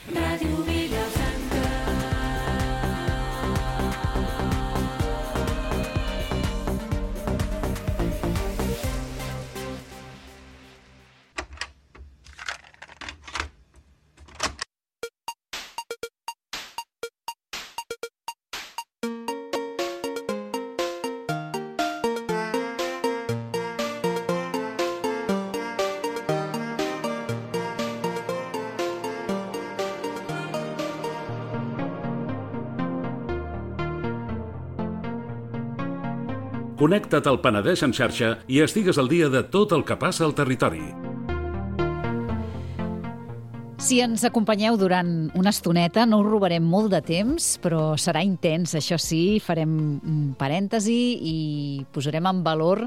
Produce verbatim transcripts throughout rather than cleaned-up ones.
Ràdio Vilafranca. Connecta't al Penedès en xarxa i estigues al dia de tot el que passa al territori. Si ens acompanyeu durant una estoneta, no us robarem molt de temps, però serà intens, això sí, farem un parèntesi i posarem en valor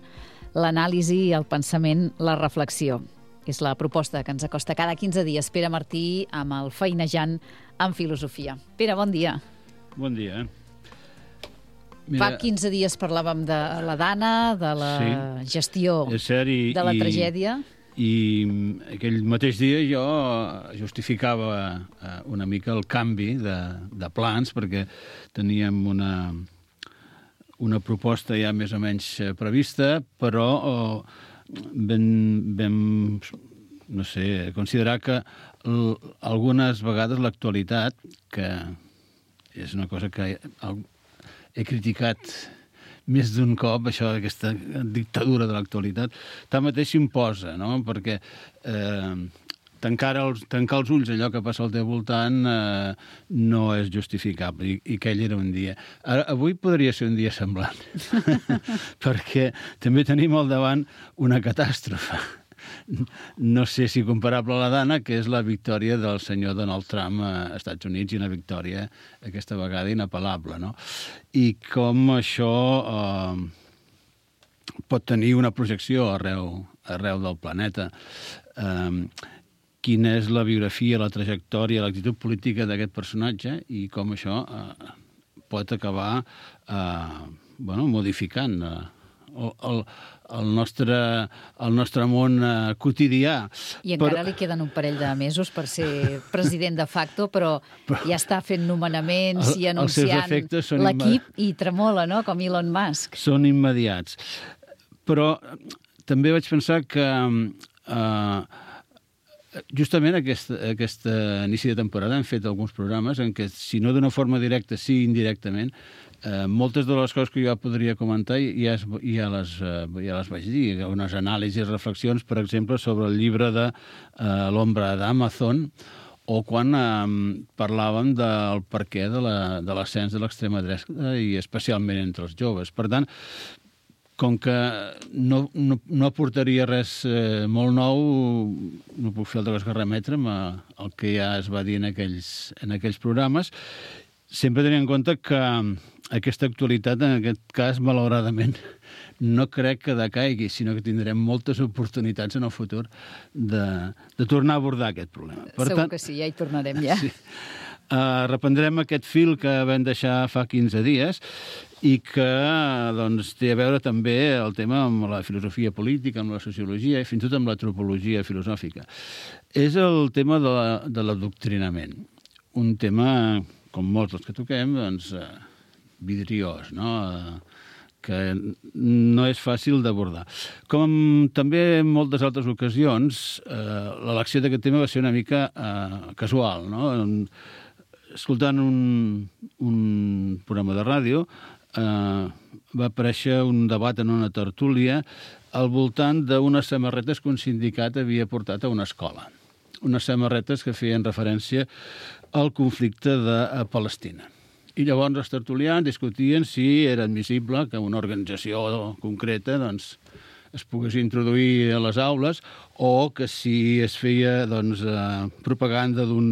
l'anàlisi, el pensament, la reflexió. És la proposta que ens acosta cada quinze dies Pere Martí amb el Feinejant en Filosofia. Pere, bon dia. Bon dia. Mira, fa quinze dies parlàvem de la Dana, de la sí, gestió cert, i, de la i, tragèdia. I aquell mateix dia jo justificava una mica el canvi de, de plans, perquè teníem una, una proposta ja més o menys prevista, però oh, vam, vam no sé, considerar que l, algunes vegades l'actualitat, que és una cosa que he criticat més d'un cop, això, aquesta dictadura de l'actualitat, tanmateix s'imposa, no? Perquè eh, tancar, els, tancar els ulls a allò que passa al teu voltant eh, no és justificable, i, i aquell era un dia. Ara, avui podria ser un dia semblant, perquè també tenim al davant una catàstrofe. No sé si comparable a la Dana, que és la victòria del senyor Donald Trump als Estats Units, i una victòria aquesta vegada inapel·lable, no? I com això eh, pot tenir una projecció arreu, arreu del planeta. Eh, quina és la biografia, la trajectòria, l'actitud política d'aquest personatge, i com això eh, pot acabar eh, bueno, modificant eh, el, el, el, nostre, el nostre món eh, quotidià. I encara però... li queden un parell de mesos per ser president de facto, però, però ja està fent nomenaments el, i anunciant l'equip imme... i tremola, no?, com Elon Musk. Són immediats. Però també vaig pensar que eh, justament aquest, aquest inici de temporada hem fet alguns programes en què, si no d'una forma directa, sí indirectament, Eh, moltes de les coses que jo podria comentar ja, es, ja, les, eh, ja les vaig dir, unes anàlisis, reflexions, per exemple, sobre el llibre de eh, l'ombra d'Amazon, o quan eh, parlàvem del perquè de l'ascens de l'extrema dreta, i especialment entre els joves. Per tant, com que no, no, no aportaria res eh, molt nou, no puc fer altra cosa que remetre'm al que ja es va dir en aquells, en aquells programes, sempre tenint en compte que aquesta actualitat, en aquest cas, malauradament, no crec que decaigui, sinó que tindrem moltes oportunitats en el futur de, de tornar a abordar aquest problema. Per Segur tant, que sí, ja hi tornarem, ja. Sí. Uh, reprendrem aquest fil que vam deixar fa quinze dies i que doncs, té a veure també el tema amb la filosofia política, amb la sociologia i fins i tot amb l'antropologia filosòfica. És el tema de, la, de l'adoctrinament. Un tema, com molts dels que toquem, doncs, uh, vidriós, no? Uh, que no és fàcil d'abordar. Com també en moltes altres ocasions, eh, l'elecció d'aquest tema va ser una mica eh, casual, no? Escoltant un, un programa de ràdio, eh, va aparèixer un debat en una tertúlia al voltant d'unes samarretes que un sindicat havia portat a una escola. Unes samarretes que feien referència al conflicte de Palestina. I llavors els tertulians discutien si era admissible que una organització concreta doncs, es pogués introduir a les aules o que si es feia doncs, eh, propaganda d'un,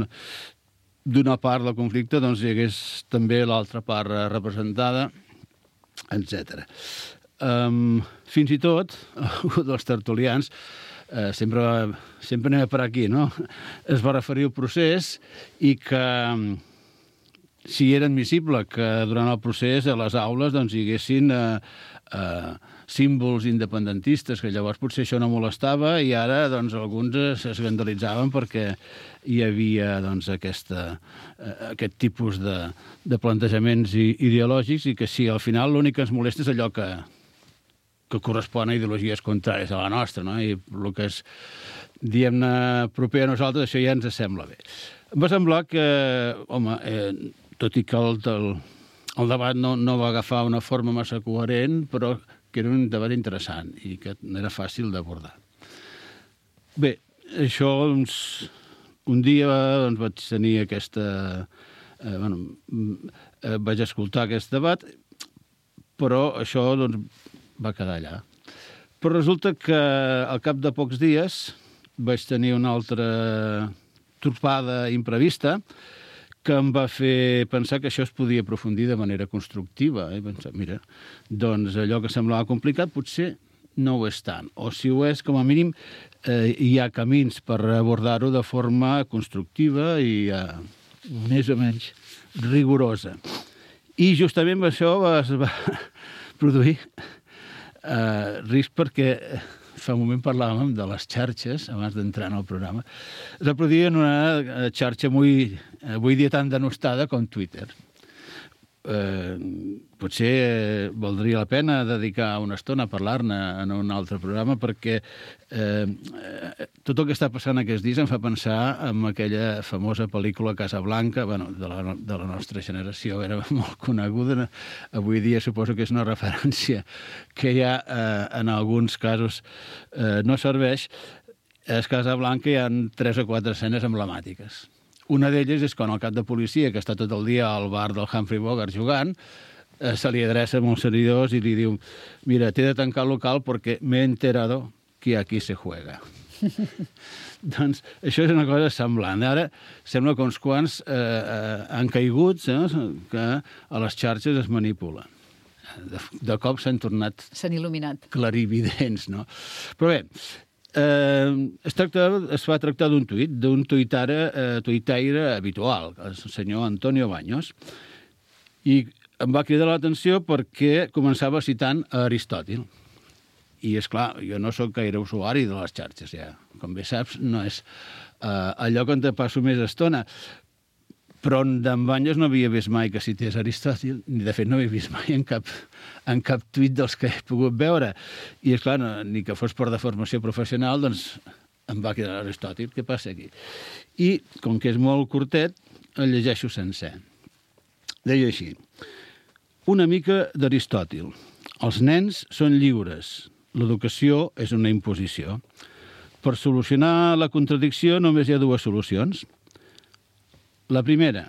d'una part del conflicte doncs, hi hagués també l'altra part representada, etcètera. Um, fins i tot, un dels tertulians, eh, sempre, sempre anem per aquí, no? Es va referir al procés i que si era admissible que durant el procés a les aules doncs, hi haguessin eh, eh, símbols independentistes, que llavors potser això no molestava, i ara doncs, alguns s'escandalitzaven perquè hi havia doncs, aquesta, eh, aquest tipus de, de plantejaments ideològics, i que sí, al final l'únic que ens molesta és allò que, que correspon a ideologies contràries a la nostra, no? I el que és, diguem-ne, proper a nosaltres, això ja ens sembla bé. Em va semblar que, home, eh, tot i que el, el, el debat no, no va agafar una forma massa coherent, però que era un debat interessant i que no era fàcil d'abordar. Bé, això, doncs, un dia doncs, vaig tenir aquesta... Eh, bueno, eh, vaig escoltar aquest debat, però això doncs, va quedar allà. Però resulta que al cap de pocs dies vaig tenir una altra trupada imprevista que em va fer pensar que això es podia aprofundir de manera constructiva. Eh? Pensar, mira, doncs allò que semblava complicat potser no ho és tant. O si ho és, com a mínim, eh, hi ha camins per abordar-ho de forma constructiva i eh, més o menys rigorosa. I justament això es va produir eh, risc perquè fa un moment parlàvem de les xarxes, abans d'entrar en el programa, es va produir en una xarxa muy, avui dia tan denostada com Twitter. Eh, potser valdria la pena dedicar una estona a parlar-ne en un altre programa, perquè eh, tot el que està passant aquests dies em fa pensar en aquella famosa pel·lícula Casablanca, bueno, de, la, de la nostra generació, era molt coneguda, avui dia suposo que és una referència que ja eh, en alguns casos eh, no serveix. A Casablanca hi ha tres o quatre escenes emblemàtiques. Una d'elles és quan el cap de policia, que està tot el dia al bar del Humphrey Bogart jugant, eh, se li adreça amb uns seguidors i li diu: mira, t'he de tancar el local perquè m'he enterado que aquí se juega. Doncs això és una cosa semblant. Ara sembla que uns quants eh, eh, han caigut, eh, que a les xarxes es manipula. De, de cop s'han tornat... S'han il·luminat. Clarividents, no? Però bé, Eh, es, tracta, es va tractar d'un tuit, d'un tuitare, eh, tuitaire habitual, el senyor Antonio Baños, i em va cridar l'atenció perquè començava citant a Aristòtil. I, és clar, jo no sóc gaire usuari de les xarxes, ja. Com bé saps, no és eh, allò que te passo més estona. Però d'en Baños no havia vist mai que cités Aristòtil, ni de fet no havia vist mai en cap, en cap tuit dels que he pogut veure. I és clar, no, ni que fos per de formació professional, doncs em va quedar Aristòtil, què passa aquí? I, com que és molt curtet, el llegeixo sencer. Deia així: una mica d'Aristòtil. Els nens són lliures. L'educació és una imposició. Per solucionar la contradicció només hi ha dues solucions. La primera,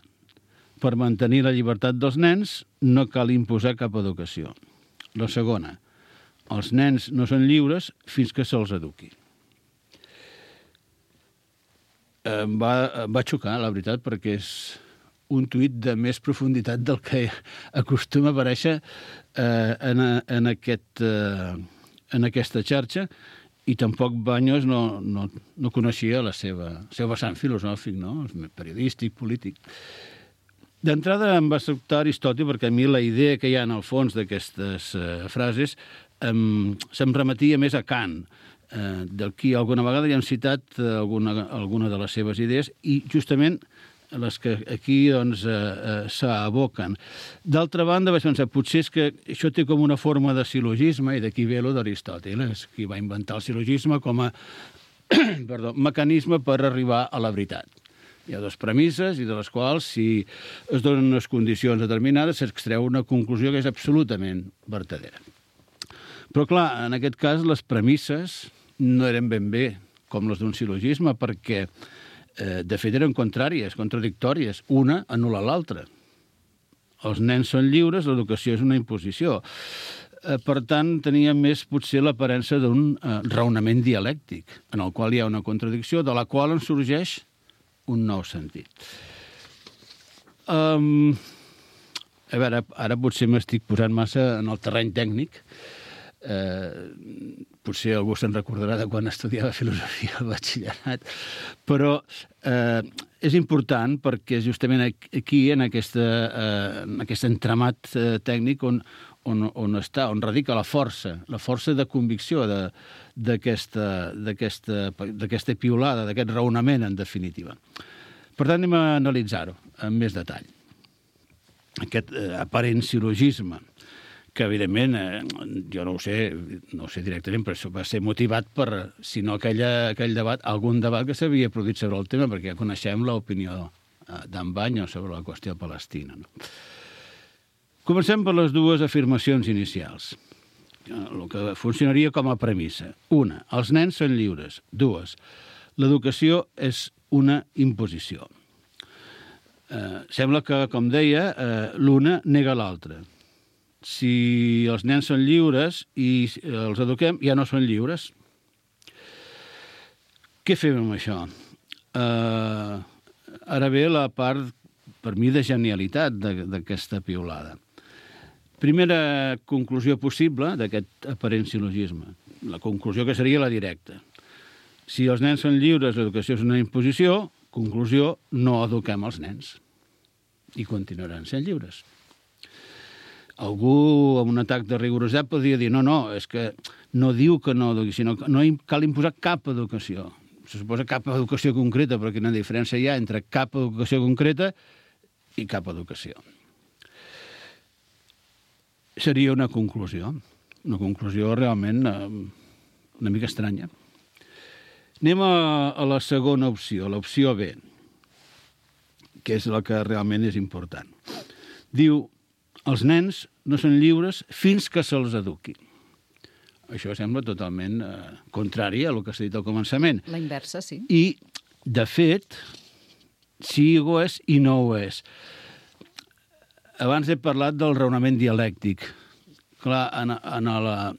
per mantenir la llibertat dels nens no cal imposar cap educació. La segona, els nens no són lliures fins que se'ls eduqui. Em va, em va xocar, la veritat, perquè és un tuit de més profunditat del que acostuma a aparèixer eh, en, en, aquest, eh, en aquesta xarxa. I tampoc Baños no, no, no coneixia la seva, seu vessant filosòfic, no? Periodístic, polític. D'entrada em va sobtar Aristòtil perquè a mi la idea que hi ha en el fons d'aquestes eh, frases em, se'm remetia més a Kant, eh, del qui alguna vegada ja hem citat eh, alguna, alguna de les seves idees, i justament les que aquí doncs, eh, eh, s'aboquen. D'altra banda, vaig pensar, potser és que això té com una forma de sil·logisme, i d'aquí ve lo d'Aristòtil, és qui va inventar el sil·logisme com a perdó, mecanisme per arribar a la veritat. Hi ha dues premisses, i de les quals, si es donen unes condicions determinades, s'extreu una conclusió que és absolutament vertadera. Però, clar, en aquest cas, les premisses no eren ben bé com les d'un sil·logisme, perquè Eh, de fet, eren contràries, contradictòries. Una anul·la l'altra. Els nens són lliures, l'educació és una imposició. Eh, per tant, tenia més, potser, l'aparença d'un eh, raonament dialèctic, en el qual hi ha una contradicció, de la qual en sorgeix un nou sentit. Um, a veure, ara potser m'estic posant massa en el terreny tècnic, Eh, potser algú se'n recordarà de quan estudiava filosofia al batxillerat, però eh, és important perquè justament aquí, en, aquesta, eh, en aquest entramat eh, tècnic on, on, on està, on radica la força, la força de convicció d'aquesta d'aquesta piulada, d'aquest raonament, en definitiva. Per tant, anem a analitzar-ho amb més detall. Aquest eh, aparent sil·logisme, que evidentment, eh, jo no ho sé, no ho sé directament, però això va ser motivat per, si no aquella, aquell debat, algun debat que s'havia produït sobre el tema, perquè ja coneixem l'opinió eh, d'en Banyo sobre la qüestió palestina. No? Comencem per les dues afirmacions inicials, el que funcionaria com a premissa. Una, els nens són lliures. Dues, l'educació és una imposició. Eh, sembla que, com deia, eh, l'una nega l'altra. Si els nens són lliures i els eduquem, ja no són lliures. Què fem amb això? Uh, ara ve la part, per mi, de genialitat d'aquesta piulada. Primera conclusió possible d'aquest aparent sil·logisme. La conclusió que seria la directa. Si els nens són lliures, l'educació és una imposició, conclusió, no eduquem els nens. I continuaran sent lliures. Algú, amb un atac de rigorositat, podria dir no, no, és que no diu que no eduqui, sinó que no cal imposar cap educació. Se suposa cap educació concreta, però quina diferència hi ha entre cap educació concreta i cap educació. Seria una conclusió, una conclusió realment eh, una mica estranya. Anem a, a la segona opció, l'opció B, que és la que realment és important. Diu, els nens no són lliures fins que se'ls eduqui. Això sembla totalment eh, contrari a el que s'ha dit al començament. La inversa, sí. I, de fet, sí ho és i no ho és. Abans he parlat del raonament dialèctic. Clar, en, en la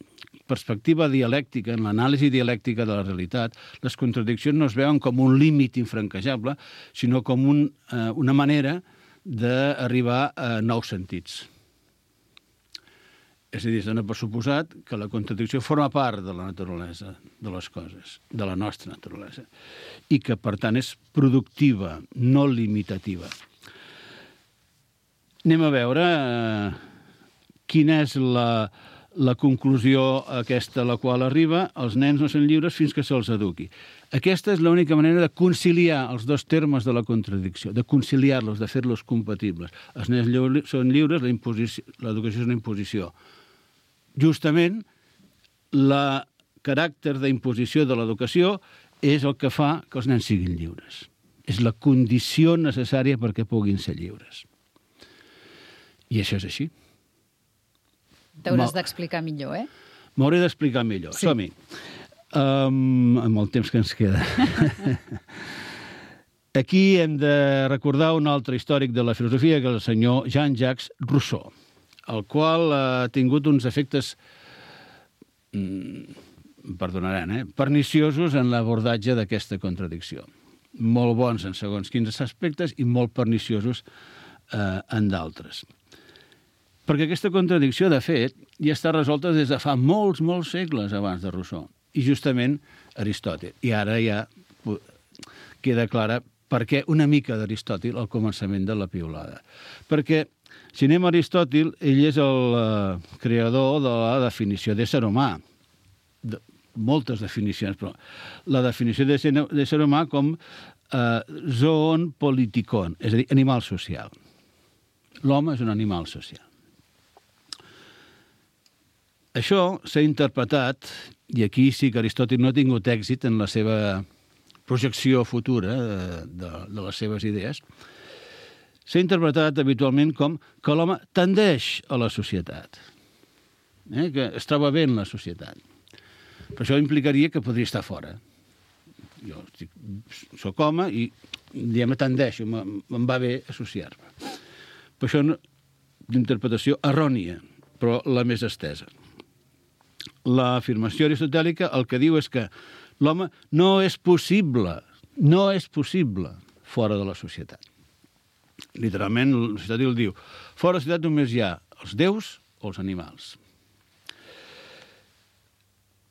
perspectiva dialèctica, en l'anàlisi dialèctica de la realitat, les contradiccions no es veuen com un límit infranquejable, sinó com un, eh, una manera d'arribar a nous sentits. És a dir, es dona per suposat que la contradicció forma part de la naturalesa de les coses, de la nostra naturalesa, i que, per tant, és productiva, no limitativa. Anem a veure eh, quina és la, la conclusió aquesta a la qual arriba. Els nens no són lliures fins que se'ls eduqui. Aquesta és l'única manera de conciliar els dos termes de la contradicció, de conciliar-los, de fer-los compatibles. Els nens lliures, són lliures, l'educació és una imposició. Justament, el caràcter d'imposició de l'educació és el que fa que els nens siguin lliures. És la condició necessària perquè puguin ser lliures. I això és així. T'hauràs d'explicar millor, eh? M'hauré d'explicar millor. Sí. Som-hi. Um, amb el temps que ens queda. Aquí hem de recordar un altre històric de la filosofia, que és el senyor Jean-Jacques Rousseau, el qual ha tingut uns efectes, mm, perdonaran, eh, perniciosos en l'abordatge d'aquesta contradicció. Molt bons en segons quins aspectes i molt perniciosos eh, en d'altres. Perquè aquesta contradicció, de fet, ja està resolta des de fa molts, molts segles abans de Rousseau. I justament Aristòtil. I ara ja queda clara per què una mica d'Aristòtil al començament de la piulada. Perquè si anem a Aristòtil, ell és el uh, creador de la definició d'ésser humà. De, moltes definicions, però la definició d'ésser humà com uh, zoon politikon, és a dir, animal social. L'home és un animal social. Això s'ha interpretat, i aquí sí que Aristòtil no ha tingut èxit en la seva projecció futura de, de, de les seves idees, s'ha interpretat habitualment com que l'home tendeix a la societat, eh? que es troba bé en la societat. Però això implicaria que podria estar fora. Jo estic, soc home i diguem, tendeixo, me'n va bé associar-me. Per això l'interpretació errònia, però la més estesa. L'afirmació aristotèlica el que diu és que l'home no és possible, no és possible fora de la societat. Literalment, Aristòtil diu, fora de la societat només hi ha els déus o els animals.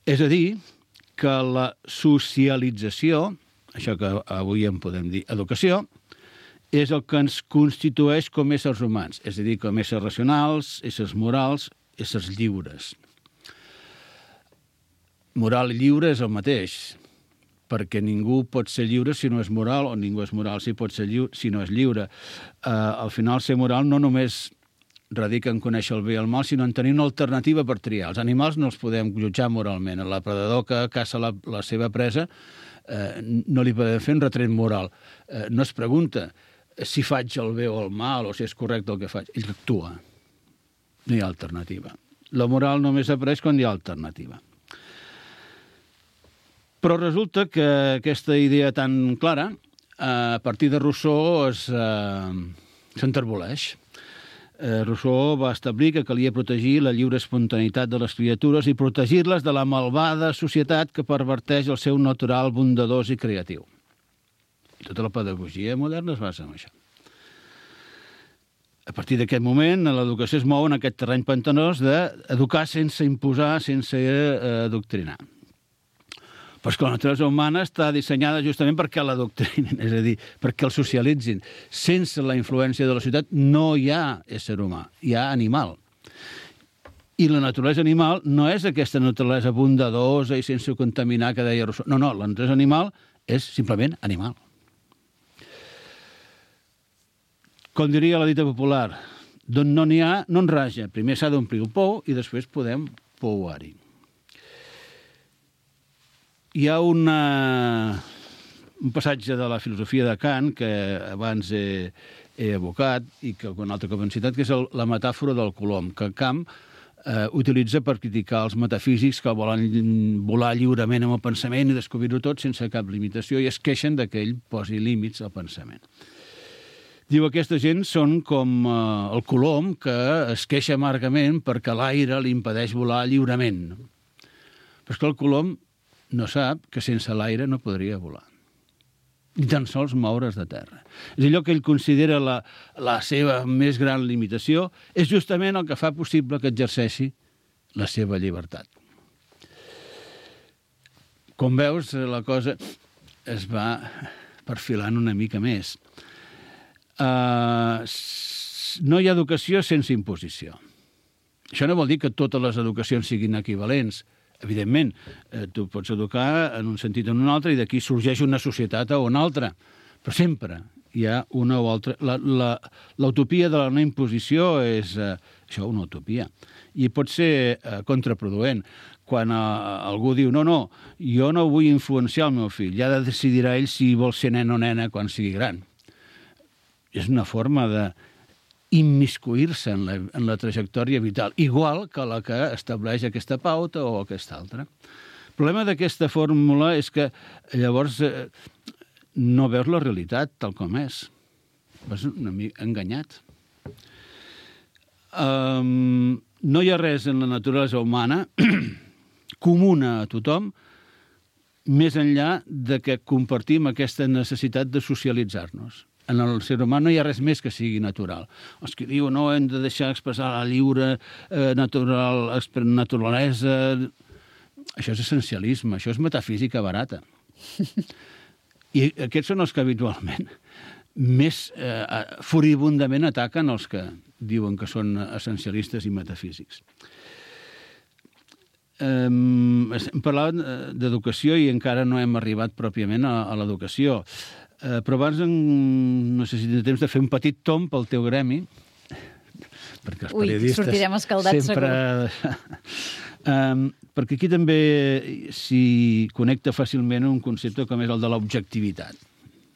És a dir, que la socialització, això que avui en podem dir educació, és el que ens constitueix com a éssers humans, és a dir, com a éssers racionals, éssers morals, éssers lliures. Moral i lliure és el mateix, perquè ningú pot ser lliure si no és moral, o ningú és moral si pot ser lliure, si no és lliure. Uh, al final, ser moral no només radica en conèixer el bé i el mal, sinó en tenir una alternativa per triar. Els animals no els podem jutjar moralment. El predador que caça la, la seva presa eh, no li podem fer un retret moral. Eh, no es pregunta si faig el bé o el mal, o si és correcte el que faig. Ell actua. No hi ha alternativa. La moral només apareix quan hi ha alternativa. Però resulta que aquesta idea tan clara, a partir de Rousseau, es, eh, s'enterboleix. Eh, Rousseau va establir que calia protegir la lliure espontaneïtat de les criatures i protegir-les de la malvada societat que perverteix el seu natural bondadós i creatiu. I tota la pedagogia moderna es basa en això. A partir d'aquest moment, l'educació es mou en aquest terreny pantanós d'educar sense imposar, sense eh, adoctrinar. Però és que la naturalesa humana està dissenyada justament perquè l'adoctrinin, és a dir, perquè el socialitzin. Sense la influència de la societat no hi ha ésser humà, hi ha animal. I la naturalesa animal no és aquesta naturalesa bondadosa i sense contaminar que deia Rousseau. No, no, la naturalesa animal és simplement animal. Com diria la dita popular, d'on no n'hi ha, no en raja. Primer s'ha d'omplir el pou i després podem pouar-hi. Hi ha una, un passatge de la filosofia de Kant que abans he, he evocat i que un altre cop hem citat, que és el, la metàfora del colom, que Kant eh, utilitza per criticar els metafísics que volen volar lliurement amb el pensament i descobrir-ho tot sense cap limitació i es queixen que ell posi límits al pensament. Diu, aquesta gent són com eh, el colom que es queixa amargament perquè l'aire li impedeix volar lliurement. Però és que el colom no sap que sense l'aire no podria volar. Ni tan sols moure's de terra. És allò que ell considera la, la seva més gran limitació, és justament el que fa possible que exerceixi la seva llibertat. Com veus, la cosa es va perfilant una mica més. Uh, no hi ha educació sense imposició. Això no vol dir que totes les educacions siguin equivalents. Evidentment, eh, tu pots educar en un sentit o en un altre i d'aquí sorgeix una societat o una altra. Però sempre hi ha una o altra. La, la, l'utopia de la no imposició és eh, això, una utopia. I pot ser eh, contraproduent. Quan eh, algú diu, no, no, jo no vull influenciar el meu fill, ja decidirà ell si vol ser nen o nena quan sigui gran. És una forma de immiscuir-se en la, en la trajectòria vital, igual que la que estableix aquesta pauta o aquesta altra. El problema d'aquesta fórmula és que llavors eh, no veus la realitat tal com és. Vas una mica enganyat. Um, no hi ha res en la naturalesa humana comuna a tothom més enllà de que compartim aquesta necessitat de socialitzar-nos. En el ser humà no hi ha res més que sigui natural. Els que diuen, no, hem de deixar expressar la lliure eh, natural, naturalesa... Això és essencialisme, això és metafísica barata. I aquests són els que habitualment més eh, furibundament ataquen els que diuen que són essencialistes i metafísics. Eh, estem parlant d'educació i encara no hem arribat pròpiament a, a l'educació. Uh, però abans, en, no sé si tens temps de fer un petit tomb pel teu gremi, perquè els Ui, periodistes sortirem escaldats, sempre... um, perquè aquí també s'hi connecta fàcilment un concepte com és el de l'objectivitat.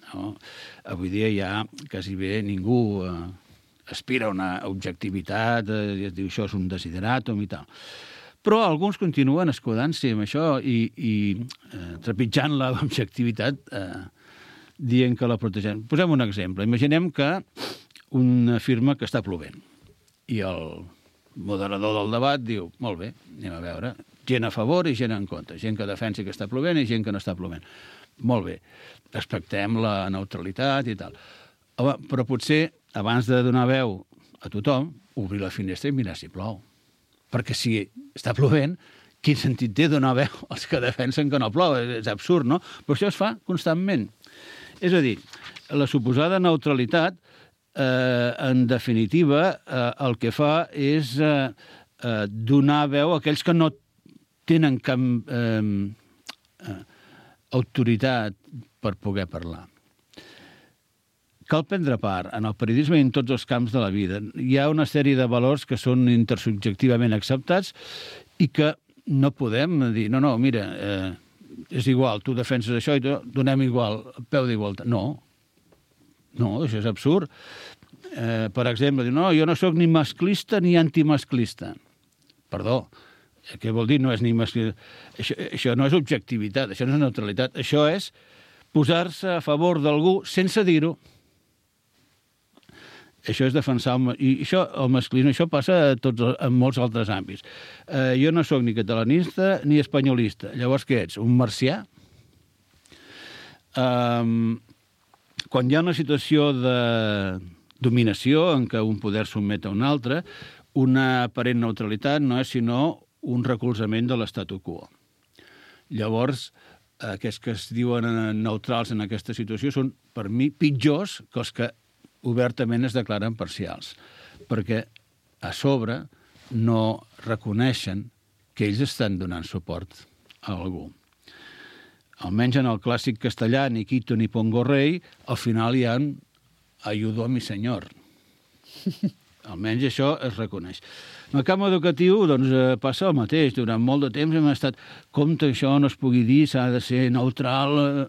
No? Avui dia ja quasi bé ningú uh, aspira a una objectivitat, uh, es diu això és un desideratum i tal. Però alguns continuen escudant-se amb això i, i uh, trepitjant l'objectivitat uh, dient que la protegem. Posem un exemple. Imaginem que un afirma que està plovent i el moderador del debat diu, molt bé, anem a veure, gent a favor i gent en contra, gent que defensa que està plovent i gent que no està plovent. Molt bé, respectem la neutralitat i tal. Home, però potser, abans de donar veu a tothom, obrir la finestra i mirar si plou. Perquè si està plovent, quin sentit té donar veu als que defensen que no plou? És absurd, no? Però això es fa constantment. És a dir, la suposada neutralitat, eh, en definitiva, eh, el que fa és eh, eh, donar veu a aquells que no tenen cap eh, eh, autoritat per poder parlar. Cal prendre part en el periodisme i en tots els camps de la vida. Hi ha una sèrie de valors que són intersubjectivament acceptats i que no podem dir, no, no, mira, eh, és igual, tu defenses això i tu donem igual, peu d'igualtat. No, no, això és absurd. Eh, per exemple, dir, no, jo no sóc ni masclista ni antimasclista. Perdó, què vol dir no és ni masclista? Això, això no és objectivitat, això no és neutralitat, això és posar-se a favor d'algú sense dir-ho. Això és defensar el, i això, el masclisme, això passa a tots, en molts altres àmbits. Eh, jo no sóc ni catalanista ni espanyolista. Llavors, què ets? Un marcià? Um, quan hi ha una situació de dominació en què un poder sotmet a un altre, una aparent neutralitat no és sinó un recolzament de l'statu quo. Llavors, aquests que es diuen neutrals en aquesta situació són, per mi, pitjors que els que obertament es declaren parcials, perquè a sobre no reconeixen que ells estan donant suport a algú. Almenys en el clàssic castellà, ni quito ni pongo rei, al final hi ha un ayudó a mi senyor. Almenys això es reconeix. En el camp educatiu doncs, passa el mateix. Durant molt de temps hem estat compte que això no es pugui dir, s'ha de ser neutral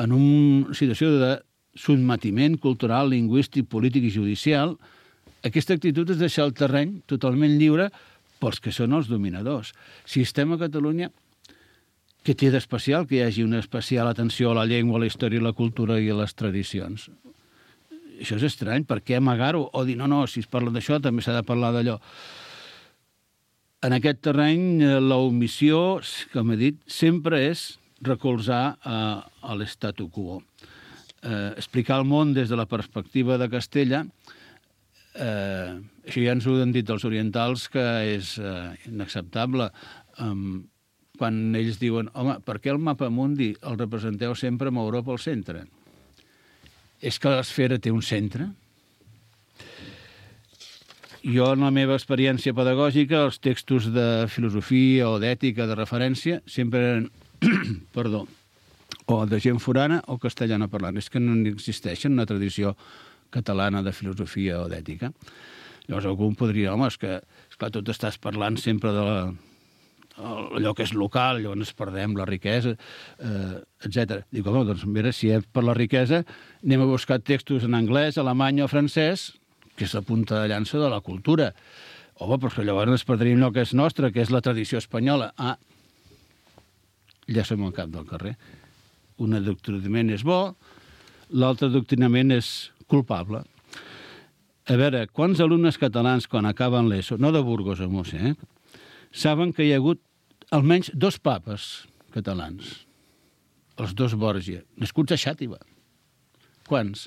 en una situació de sotmetiment cultural, lingüístic, polític i judicial. Aquesta actitud és deixar el terreny totalment lliure pels que són els dominadors. Si estem a Catalunya, què té d'especial que hi hagi una especial atenció a la llengua, a la història, a la cultura i a les tradicions? Això és estrany, per què amagar-ho? O dir, no, no, si es parla d'això també s'ha de parlar d'allò. En aquest terreny, l'omissió, com he dit, sempre és recolzar a, a l'statu quo. Eh, explicar el món des de la perspectiva de Castella, eh, això ja ens ho han dit els orientals que és eh, inacceptable. Um, quan ells diuen, home, per què el mapa mundi el representeu sempre amb Europa al centre? És que l'esfera té un centre? Jo, en la meva experiència pedagògica, els textos de filosofia o d'ètica de referència sempre eren, perdó, o de gent forana o castellana parlant. És que no existeix una tradició catalana de filosofia o d'ètica. Llavors algú podria dir, home, és que esclar, tu estàs parlant sempre de la, allò que és local, llavors perdem la riquesa, eh, etcètera. Dic, home, doncs mira, si és per la riquesa, anem a buscar textos en anglès, alemany o francès, que és la punta de llança de la cultura. Home, però llavors ens perdríem allò que és nostre, que és la tradició espanyola. Ah, ja som al cap del carrer. Un adoctrinament és bo, l'altre adoctrinament és culpable. A veure, quants alumnes catalans, quan acaben l'ESO, no de Burgos a Múrcia, eh, saben que hi ha hagut almenys dos papes catalans, els dos Borgia, nascuts a Xàtiva. Quants?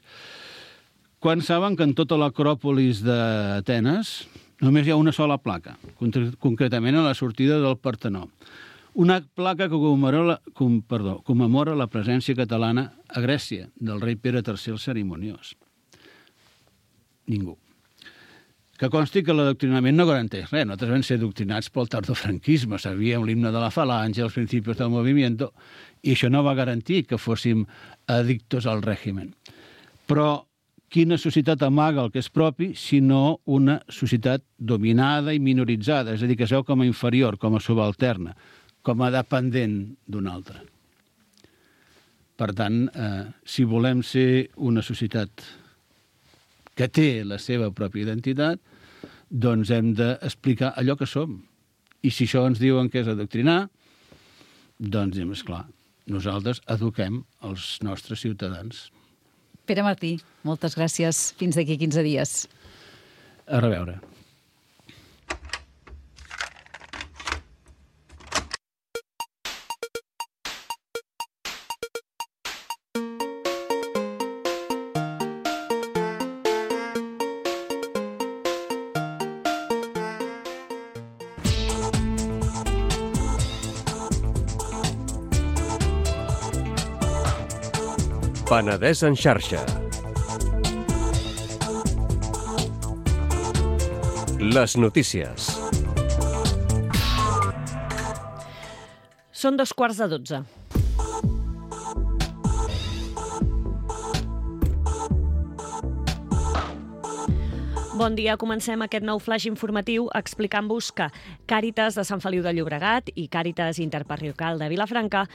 Quants saben que en tota l'acròpolis d'Atenes només hi ha una sola placa, concretament a la sortida del Partenó? Una placa que commemora, com, perdó, commemora la presència catalana a Grècia, del rei Pere tercer el Cerimoniós. Ningú. Que consti que l'adoctrinament no garanteix res. Nosaltres vam ser adoctrinats pel tardofranquisme, sabíem l'himne de la falange, els principis del movimiento, i això no va garantir que fóssim addictos al règimen. Però quina societat amaga el que és propi, sinó una societat dominada i minoritzada, és a dir, que es veu com a inferior, com a subalterna, com a dependent d'un altre. Per tant, eh, si volem ser una societat que té la seva pròpia identitat, doncs hem d'explicar allò que som. I si això ens diuen que és adoctrinar, doncs diem, esclar, nosaltres eduquem els nostres ciutadans. Pere Martí, moltes gràcies. Fins d'aquí quinze dies. A reveure. Penedès en xarxa. Les notícies. Són dos quarts de dotze. Bon dia, comencem aquest nou flash informatiu explicant-vos que Càritas de Sant Feliu de Llobregat i Càritas Interparroquial de Vilafranca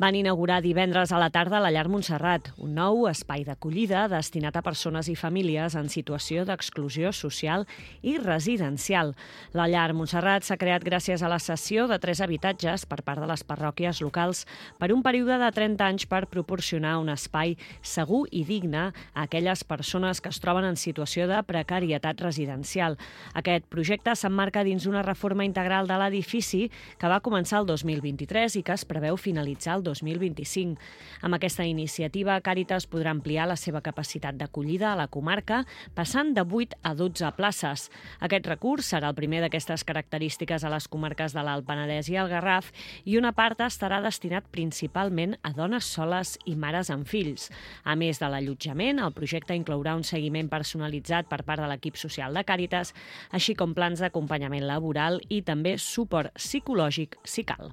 van inaugurar divendres a la tarda la Llar Montserrat, un nou espai d'acollida destinat a persones i famílies en situació d'exclusió social i residencial. La Llar Montserrat s'ha creat gràcies a la cessió de tres habitatges per part de les parròquies locals per un període de trenta anys per proporcionar un espai segur i digne a aquelles persones que es troben en situació de precarietat residencial. Aquest projecte s'emmarca dins una reforma integral de l'edifici que va començar el dos mil vint-i-tres i que es preveu finalitzar el dos mil vint-i-cinc. Amb aquesta iniciativa, Càritas podrà ampliar la seva capacitat d'acollida a la comarca, passant de vuit a dotze places. Aquest recurs serà el primer d'aquestes característiques a les comarques de l'Alt Penedès i el Garraf, i una part estarà destinat principalment a dones soles i mares amb fills. A més de l'allotjament, el projecte inclourà un seguiment personalitzat per part de l'equip social de Càritas, així com plans d'acompanyament laboral i també suport psicològic si cal.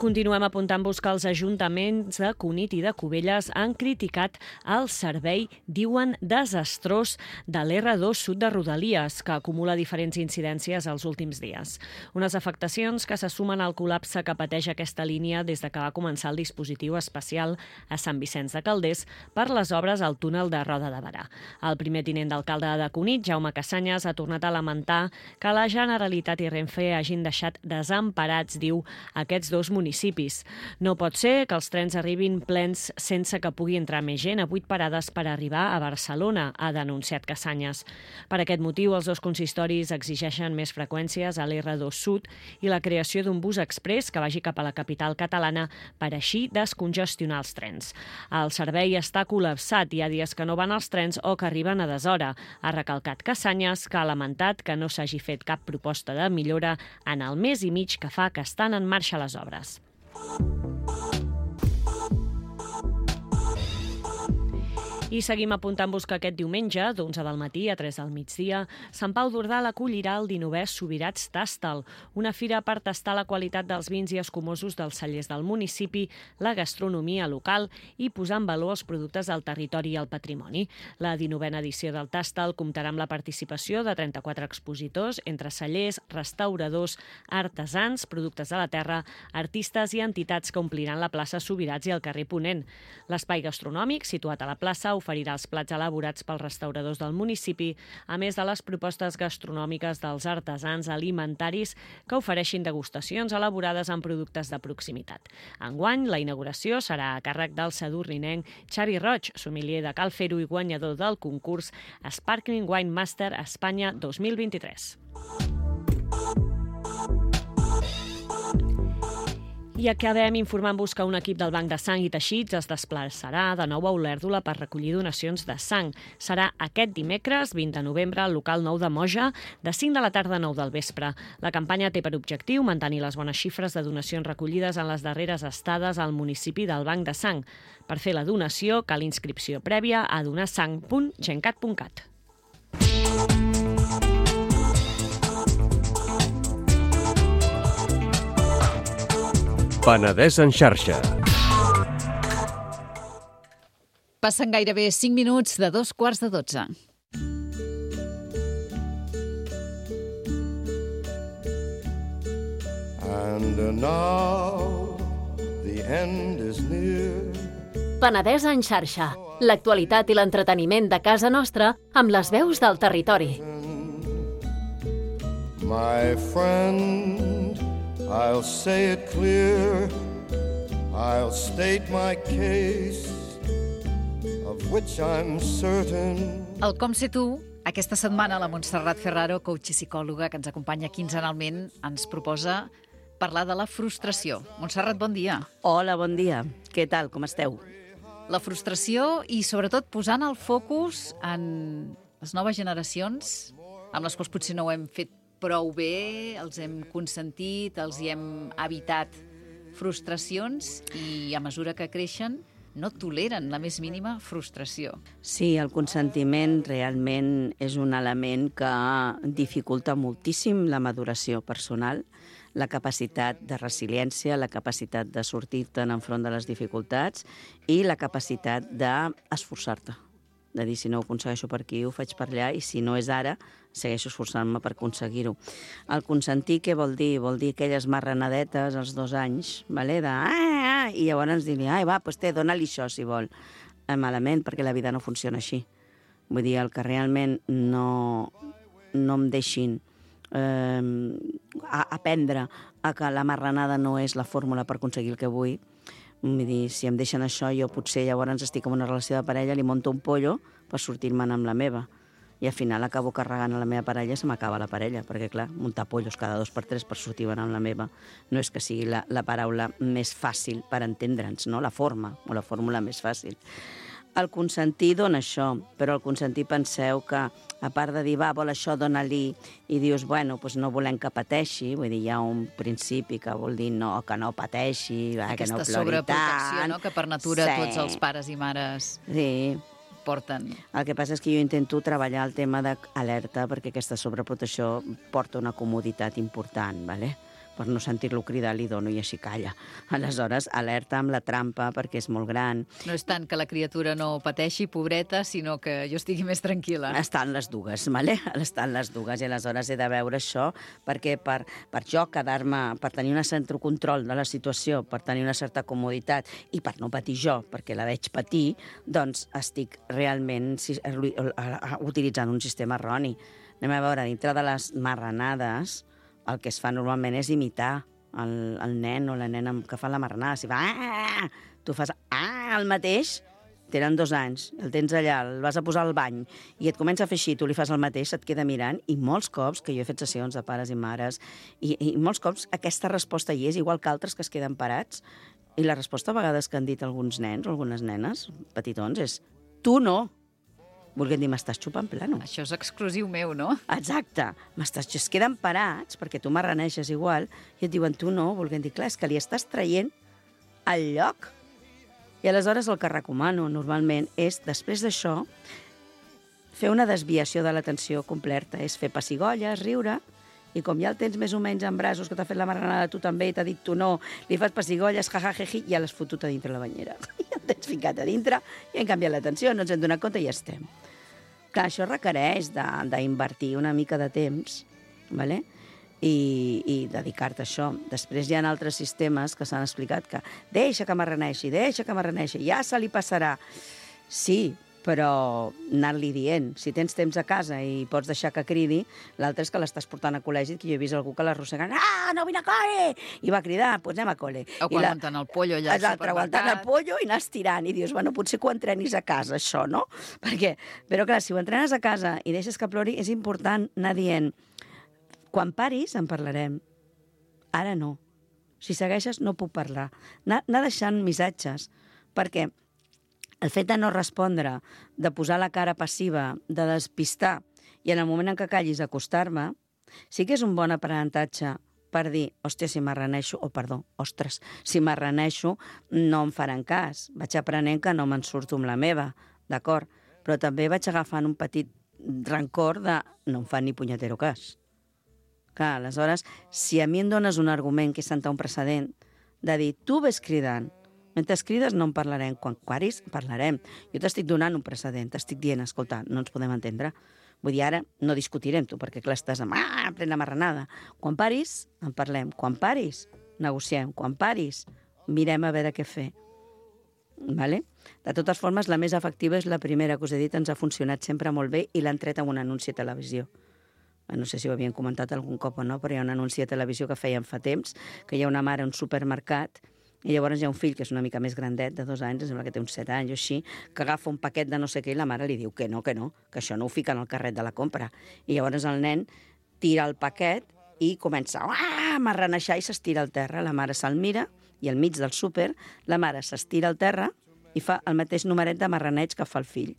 Continuem apuntant-vos que els ajuntaments de Cunit i de Cubelles han criticat el servei, diuen, desastrós de l'erre dos Sud de Rodalies, que acumula diferents incidències els últims dies. Unes afectacions que se sumen al col·lapse que pateix aquesta línia des de que va començar el dispositiu especial a Sant Vicenç de Calders per les obres al túnel de Roda de Berà. El primer tinent d'alcalde de Cunit, Jaume Cassanyes, ha tornat a lamentar que la Generalitat i Renfe hagin deixat desemparats, diu, aquests dos municipis. No pot ser que els trens arribin plens sense que pugui entrar més gent a vuit parades per arribar a Barcelona, ha denunciat Cassanyes. Per aquest motiu, els dos consistoris exigeixen més freqüències a l'erre dos Sud i la creació d'un bus exprés que vagi cap a la capital catalana per així descongestionar els trens. El servei està col·lapsat, hi ha dies que no van els trens o que arriben a deshora. Ha recalcat Cassanyes, que ha lamentat que no s'hagi fet cap proposta de millora en el mes i mig que fa que estan en marxa les obres. I seguim apuntant-vos que aquest diumenge, d'onze del matí a tres del migdia, Sant Pau d'Ordal acollirà el dinovè Subirats Tastal, una fira per tastar la qualitat dels vins i escumosos dels cellers del municipi, la gastronomia local i posar en valor els productes del territori i el patrimoni. La dinovena edició del Tastal comptarà amb la participació de trenta-quatre expositors entre cellers, restauradors, artesans, productes de la terra, artistes i entitats que ompliran la plaça Subirats i el carrer Ponent. L'espai gastronòmic, situat a la plaça, oferirà els plats elaborats pels restauradors del municipi, a més de les propostes gastronòmiques dels artesans alimentaris que ofereixin degustacions elaborades amb productes de proximitat. Enguany, la inauguració serà a càrrec del sadurninenc Xavi Roig, sommelier de Cal Fer-ho i guanyador del concurs Sparkling Wine Master Espanya dos mil vint-i-tres. I acabem informant-vos que un equip del Banc de Sang i Teixits es desplaçarà de nou a Olèrdola per recollir donacions de sang. Serà aquest dimecres, vint de novembre, al local nou de Moja, de cinc de la tarda a nou del vespre. La campanya té per objectiu mantenir les bones xifres de donacions recollides en les darreres estades al municipi del Banc de Sang. Per fer la donació cal inscripció prèvia a donarsang punt gencat punt cat. Penedès en xarxa. Passen gairebé cinc minuts de dos quarts de dotze. And now the end is near. Penedès en xarxa. L'actualitat i l'entreteniment de casa nostra amb les veus del territori. My friend, I'll say it clear, I'll state my case, of which I'm certain. El Com sé tu, aquesta setmana la Montserrat Ferraro, coach i psicòloga que ens acompanya quinzenalment, ens proposa parlar de la frustració. Montserrat, bon dia. Hola, bon dia. Què tal, com esteu? La frustració i, sobretot, posant el focus en les noves generacions, amb les quals potser no ho hem fet prou bé, els hem consentit, els hi hem evitat frustracions i a mesura que creixen no toleren la més mínima frustració. Sí, el consentiment realment és un element que dificulta moltíssim la maduració personal, la capacitat de resiliència, la capacitat de sortir-te'n enfront de les dificultats i la capacitat d'esforçar-te. De dir, si no ho aconsegueixo per aquí, ho faig per allà, i si no és ara, segueixo esforçant-me per aconseguir-ho. El consentir, què vol dir? Vol dir aquelles marranadetes als dos anys, vale? de ah, ah, i llavors dir-li, ai, va, doncs té, dona-li això, si vol. Eh, malament, perquè la vida no funciona així. Vull dir, el que realment no, no em deixin eh, a, aprendre a que la marranada no és la fórmula per aconseguir el que vull. Vull dir, si em deixen això, jo potser llavors estic en una relació de parella, li monto un pollo per sortir-me'n amb la meva. I al final acabo carregant a la meva parella i se m'acaba la parella, perquè, clar, muntar pollos cada dos per tres per sortir-me'n amb la meva no és que sigui la, la paraula més fàcil per entendre'ns, no? La forma, o la fórmula més fàcil. El consentir dona això, però el consentir penseu que, a part de dir, va, vol això, dona-li, i dius, bueno, doncs no volem que pateixi, vull dir, hi ha un principi que vol dir no, que no pateixi, va, que no plori tant. Aquesta sobreprotecció, no?, que per natura sí. tots els pares i mares sí. porten. El que passa és que jo intento treballar el tema d'alerta perquè aquesta sobreprotecció porta una comoditat important, ¿vale? Per no sentir-lo cridar, li dono i així calla. Aleshores, alerta amb la trampa perquè és molt gran. No és tant que la criatura no pateixi, pobreta, sinó que jo estigui més tranquil·la. Estan les dues, ¿vale? Estan les dues, i aleshores he de veure això perquè per, per jo quedar-me, per tenir un cert control de la situació, per tenir una certa comoditat i per no patir jo, perquè la veig patir, doncs estic realment utilitzant un sistema erroni. Anem a veure, dintre de les marranades, el que es fa normalment és imitar el, el nen o la nena que fa la marranada. Si fa ah, tu fas ah, el mateix, tenen dos anys, el tens allà, el vas a posar al bany i et comença a fer així, tu li fas el mateix, se't queda mirant, i molts cops, que jo he fet sessions de pares i mares, i, i molts cops aquesta resposta hi és, igual que altres que es queden parats, i la resposta a vegades que han dit alguns nens o algunes nenes petitons és tu no. Volguem dir, m'estàs xupant plano. Això és exclusiu meu, no? Exacte. M'estàs... Es queden parats, perquè tu marraneixes igual, i et diuen, tu no, volguem dir, clar, és que li estàs traient el lloc. I aleshores el que recomano normalment és, després d'això, fer una desviació de l'atenció completa. És fer pessigolles, riure, i com ja el tens més o menys en braços, que t'ha fet la marranada, tu també, i t'ha dit tu no, li fas pessigolles, jajajeji, i ja l'has fotut a dintre la banyera. I el tens ficat a dintre, i hem canviat l'atenció, no ens hem donat compte i ja estem. Clar, això requereix d'invertir una mica de temps, ¿vale? i, i dedicar-te a això. Després hi ha altres sistemes que s'han explicat que deixa que marraneixi, deixa que marraneixi, ja se li passarà. Sí, però anar-li dient. Si tens temps a casa i pots deixar que cridi, l'altre és que l'estàs portant a col·legi, que jo he vist algú que l'arrossegant, ah, no vine a col·le! I va cridar, doncs anem a col·le. O quan aguantant el pollo allà al supermercat. Aguantant el pollo i anar estirant. I dius, bueno, potser que ho entrenis a casa, això, no? Perquè, però clar, si ho entrenes a casa i deixes que plori, és important anar dient, quan paris en parlarem, ara no. Si segueixes no puc parlar. Anar, anar deixant missatges, perquè el fet de no respondre, de posar la cara passiva, de despistar, i en el moment en què callis acostar-me, sí que és un bon aprenentatge per dir, hòstia, si m'arraneixo, o perdó, ostres, si m'arraneixo no em faran cas. Vaig aprenent que no me'n surto amb la meva, d'acord? Però també vaig agafant un petit rancor de no em fan ni punyetero cas. Clar, aleshores, si a mi em dones un argument que és sentar un precedent, de dir, tu ves cridant, mentre crides no en parlarem, quan paris parlarem. Jo t'estic donant un precedent, t'estic dient, escolta, no ens podem entendre. Vull dir, ara no discutirem tu, perquè clar, estàs amb, ah, pren la marranada. Quan paris, en parlem. Quan paris, negociem. Quan paris, mirem a veure què fer. Vale? De totes formes, la més efectiva és la primera que us he dit, ens ha funcionat sempre molt bé i l'han tret amb un anunci a televisió. No sé si ho havien comentat algun cop o no, però hi ha un anunci a televisió que feien fa temps, que hi ha una mare a un supermercat i llavors hi ha un fill que és una mica més grandet, de dos anys, em sembla que té uns set anys o així, que agafa un paquet de no sé què i la mare li diu que no, que no, que això no ho fica en el carret de la compra. I llavors el nen tira el paquet i comença a marraneixar i s'estira al terra. La mare se'l mira i al mig del súper la mare s'estira al terra i fa el mateix numeret de marraneig que fa el fill.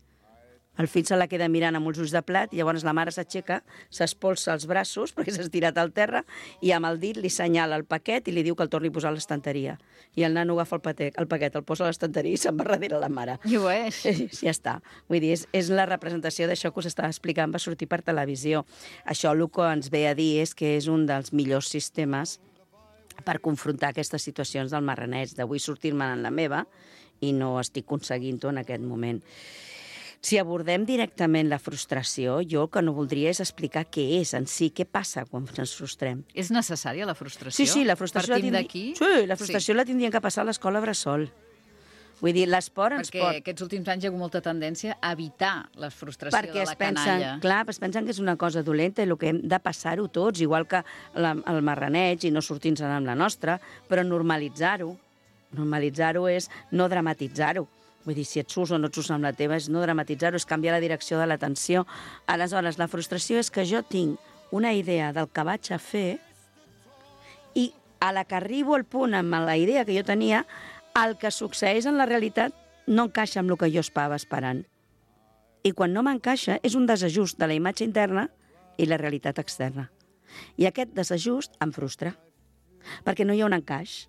El fill se la queda mirant amb els ulls de plat i llavors la mare s'aixeca, s'espolsa els braços perquè s'ha estirat al terra i amb el dit li senyala el paquet i li diu que el torni a posar a l'estanteria. I el nano agafa el, paquet, el paquet, el posa a l'estanteria i se'n va darrere la mare. I ho és. Sí, ja està. Vull dir, és, és la representació d'això que us estava explicant, va sortir per televisió. Això el que ens ve a dir és que és un dels millors sistemes per confrontar aquestes situacions del marraneig, d'avui sortir-me en la meva i no estic aconseguint-ho en aquest moment. Si abordem directament la frustració, jo el que no voldria és explicar què és en si, què passa quan ens frustrem. És necessària la frustració? Sí, sí, la frustració, la, Partim tindri... d'aquí? sí, la frustració sí. la tindrien que passar a l'escola bressol. Vull dir, l'esport ens Perquè pot... Perquè aquests últims anys hi ha hagut molta tendència a evitar la frustració Perquè de es la pensen, canalla. clar, es pensen que és una cosa dolenta i el que hem de passar-ho tots, igual que la, el marraneig i no sortir-se'n amb la nostra, però normalitzar-ho. Normalitzar-ho és no dramatitzar-ho. Vull dir, si et surts o no et surts amb la teva, és no dramatitzar-ho, és canviar la direcció de l'atenció. Aleshores, la frustració és que jo tinc una idea del que vaig a fer i a la que arribo al punt amb la idea que jo tenia, el que succeeix en la realitat no encaixa amb el que jo estava esperant. I quan no m'encaixa és un desajust de la imatge interna i la realitat externa. I aquest desajust em frustra, perquè no hi ha un encaix.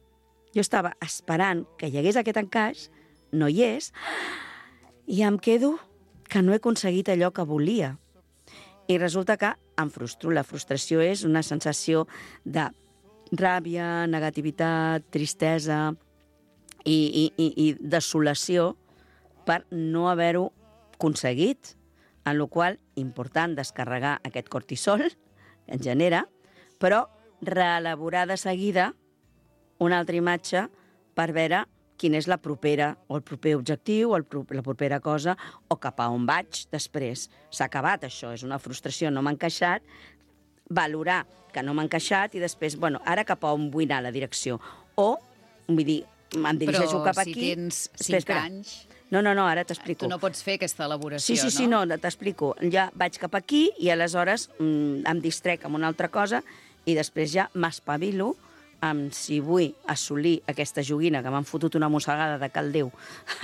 Jo estava esperant que hi hagués aquest encaix, no hi és, i em quedo que no he aconseguit allò que volia. I resulta que em frustro. La frustració és una sensació de ràbia, negativitat, tristesa i, i, i, i desolació per no haver-ho aconseguit, en la qual important descarregar aquest cortisol que en genera, però reelaborar de seguida una altra imatge per veure quina és la propera, o el proper objectiu, o el, la propera cosa, o cap a on vaig després. S'ha acabat això, és una frustració, no m'ha encaixat, valorar que no m'ha encaixat i després, bueno, ara cap a on vull anar la direcció. O, vull dir, em dirigeixo cap aquí... Però si tens cinc espera, espera. anys... No, no, no, ara t'explico. Tu no pots fer aquesta elaboració, sí, sí, sí, no? Sí, no, t'explico. Ja vaig cap aquí i aleshores mm, em distrec amb una altra cosa i després ja m'espavilo amb si vull assolir aquesta joguina que m'han fotut una mossegada de cal Déu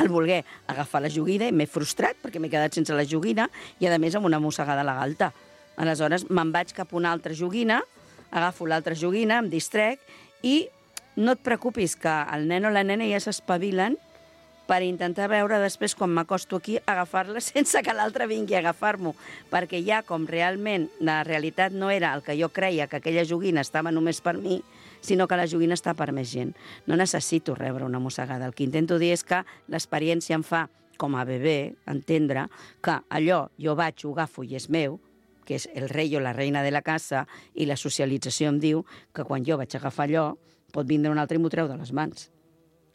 al voler agafar la joguina i m'he frustrat perquè m'he quedat sense la joguina i a més amb una mossegada a la galta. Aleshores me'n vaig cap a una altra joguina, agafo l'altra joguina, em distrec i no et preocupis que el nen o la nena ja s'espavilen per intentar veure després, quan m'acosto aquí, agafar-la sense que l'altre vingui a agafar-m'ho. Perquè ja, com realment la realitat no era el que jo creia, que aquella joguina estava només per mi, sinó que la joguina està per més gent. No necessito rebre una mossegada. El que intento dir és que l'experiència em fa, com a bebè, entendre que allò jo vaig, ho agafo i és meu, que és el rei o la reina de la casa, i la socialització em diu que quan jo vaig agafar allò, pot vindre un altre i m'ho treu de les mans.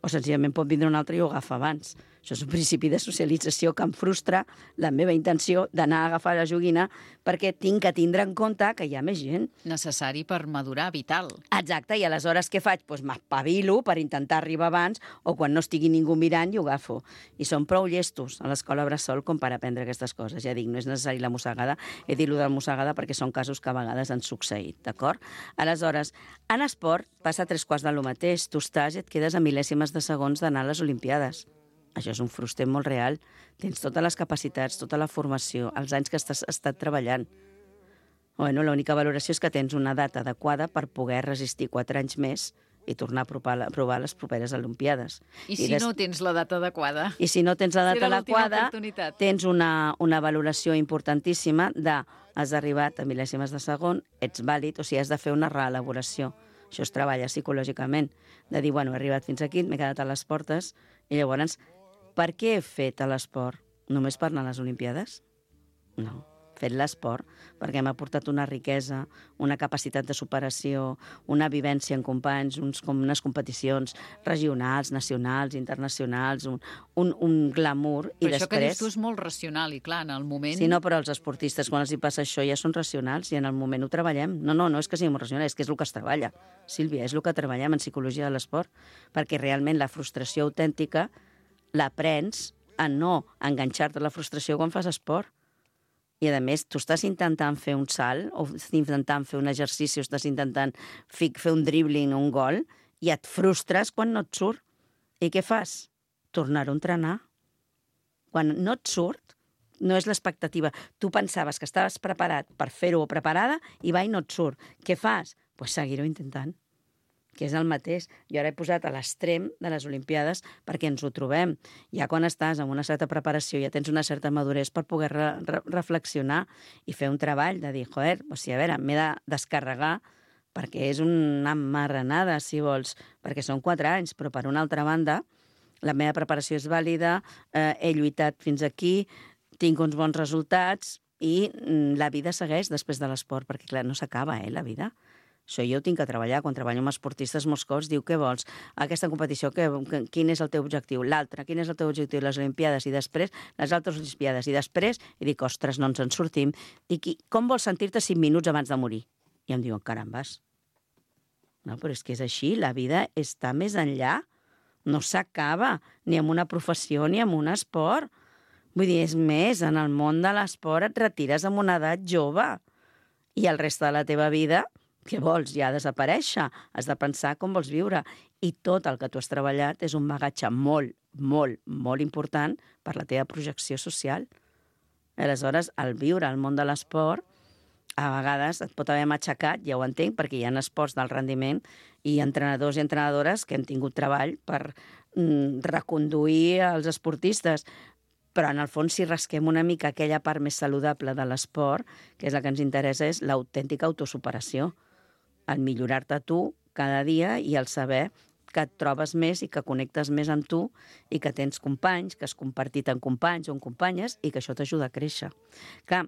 O senzillament pot vindre un altre i ho agafa abans. Això és un principi de socialització que em frustra la meva intenció d'anar a agafar la joguina perquè tinc que tindre en compte que hi ha més gent. Necessari per madurar, vital. Exacte, i aleshores què faig? Doncs m'espavilo per intentar arribar abans o quan no estigui ningú mirant i ho agafo. I són prou llestos a l'escola bressol com per aprendre aquestes coses. Ja dic, no és necessari la mossegada, he dit-lo de la mossegada perquè són casos que a vegades han succeït, d'acord? Aleshores, en esport passa tres quarts de lo mateix. Tu estàs i et quedes a mil·lèsimes de segons d'anar a les Olimpiades. Això és un frustret molt real. Tens totes les capacitats, tota la formació, els anys que has estat treballant. Bueno, l'única valoració és que tens una data adequada per poder resistir quatre anys més i tornar a provar, a provar les properes Olimpiades. I, I si des... no tens la data adequada? I si no tens la data adequada, tens una, una valoració importantíssima de has arribat a mil·lèsimes de segon, ets vàlid, o sigui, has de fer una reelaboració. Això es treballa psicològicament, de dir, bueno, he arribat fins aquí, m'he quedat a les portes, i llavors, per què he fet l'esport? Només per anar a les Olimpiades? No. He fet l'esport perquè m'ha portat una riquesa, una capacitat de superació, una vivència en companys, uns, com unes competicions regionals, nacionals, internacionals, un, un, un glamour. Però i això després... que dius tu és molt racional i clar, en el moment... Sí, no, però els esportistes, quan els hi passa això, ja són racionals i en el moment ho treballem. No, no, no és que siguem racionals, és que és el que es treballa. Sílvia, és el que treballem en psicologia de l'esport, perquè realment la frustració autèntica l'aprens a no enganxar-te a la frustració quan fas esport. I, a més, tu estàs intentant fer un salt, o estàs intentant fer un exercici, o estàs intentant fer un dribbling o un gol, i et frustres quan no et surt. I què fas? Tornar-ho a entrenar. Quan no et surt, no és l'expectativa. Tu pensaves que estaves preparat per fer-ho o preparada i va i no et surt. Què fas? Doncs pues seguir-ho intentant, que és el mateix. Jo ara he posat a l'extrem de les Olimpiades perquè ens ho trobem. Ja quan estàs en una certa preparació, ja tens una certa maduresa per poder re re reflexionar i fer un treball de dir, joder, o sigui, a veure, m'he de descarregar perquè és una marranada, si vols, perquè són quatre anys, però per una altra banda, la meva preparació és vàlida, eh, he lluitat fins aquí, tinc uns bons resultats i mm, la vida segueix després de l'esport, perquè clar, no s'acaba, eh, la vida. Això jo ho tinc que treballar. Quan treballo amb esportistes molts cops diu, què vols? Aquesta competició, que, que, quin és el teu objectiu? L'altre, quin és el teu objectiu? Les Olimpiades i després les altres Olimpiades i després, i dic, ostres, no ens en sortim. I qui, com vols sentir-te cinc minuts abans de morir? I em diuen, carambes. No, però és que és així, la vida està més enllà. No s'acaba, ni amb una professió ni amb un esport. Vull dir, és més, en el món de l'esport et retires amb una edat jove i el reste de la teva vida, què vols? Ja desaparèixer. Has de pensar com vols viure. I tot el que tu has treballat és un bagatge molt, molt, molt important per la teva projecció social. Aleshores, al viure al món de l'esport, a vegades et pot haver matxacat, ja ho entenc, perquè hi ha esports del rendiment i entrenadors i entrenadores que hem tingut treball per mm, reconduir els esportistes. Però en el fons, si rasquem una mica aquella part més saludable de l'esport, que és la que ens interessa, és l'autèntica autosuperació. El millorar-te tu cada dia i el saber que et trobes més i que connectes més amb tu i que tens companys, que has compartit amb companys o amb companyes i que això t'ajuda a créixer. Clar,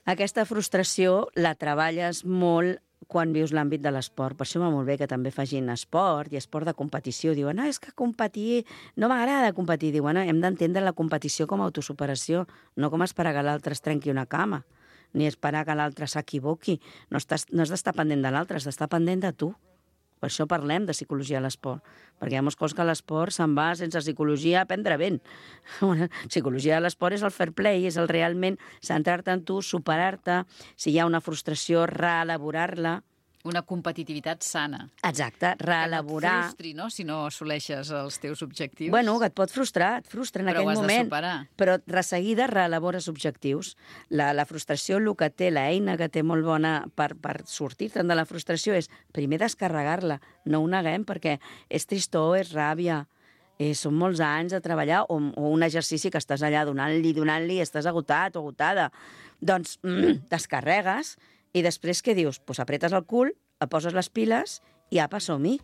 aquesta frustració la treballes molt quan vius l'àmbit de l'esport. Per això va molt bé que també facin esport i esport de competició. Diuen, no, és que competir, no m'agrada competir. Diuen, no, hem d'entendre la competició com a autosuperació, no com esperar que l'altre es trenqui una cama, ni esperar que l'altre s'equivoqui. No, estàs, no has d'estar pendent de l'altre, has d'estar pendent de tu. Per això parlem de psicologia a l'esport, perquè hi ha molts cops que l'esport se'n va sense psicologia a prendre vent. La psicologia de l'esport és el fair play, és el realment centrar-te en tu, superar-te, si hi ha una frustració, reelaborar-la. Una competitivitat sana. Exacte, reelaborar. Que no et frustri, no?, si no assoleixes els teus objectius. Bueno, que et pot frustrar, et frustra en però aquell moment. Però ho has de superar. Però de seguida reelabores objectius. La, la frustració, el que té, l'eina que té molt bona per, per sortir-te'n de la frustració és primer descarregar-la. No ho neguem, perquè és tristor, és ràbia, eh, són molts anys de treballar, o, o un exercici que estàs allà donant-li, donant-li, estàs agotat o agotada. Doncs mm, descarregues. I després què dius? Doncs pues apretes el cul, et poses les piles i apa, som-hi.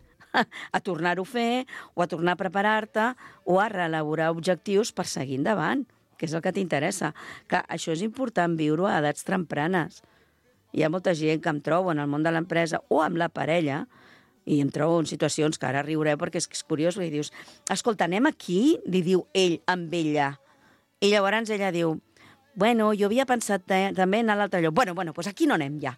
A tornar-ho a fer, o a tornar a preparar-te, o a reelaborar objectius per seguir endavant, que és el que t'interessa. Que això és important viure-ho a edats tempranes. Hi ha molta gent que em trobo en el món de l'empresa o amb la parella, i em trobo en situacions que ara riureu perquè és, és curiós, i dius, escolta, anem aquí? Li diu ell amb ella. I llavors ella diu, bueno, jo havia pensat també anar a l'altre lloc. Bueno, bueno, doncs aquí no anem ja.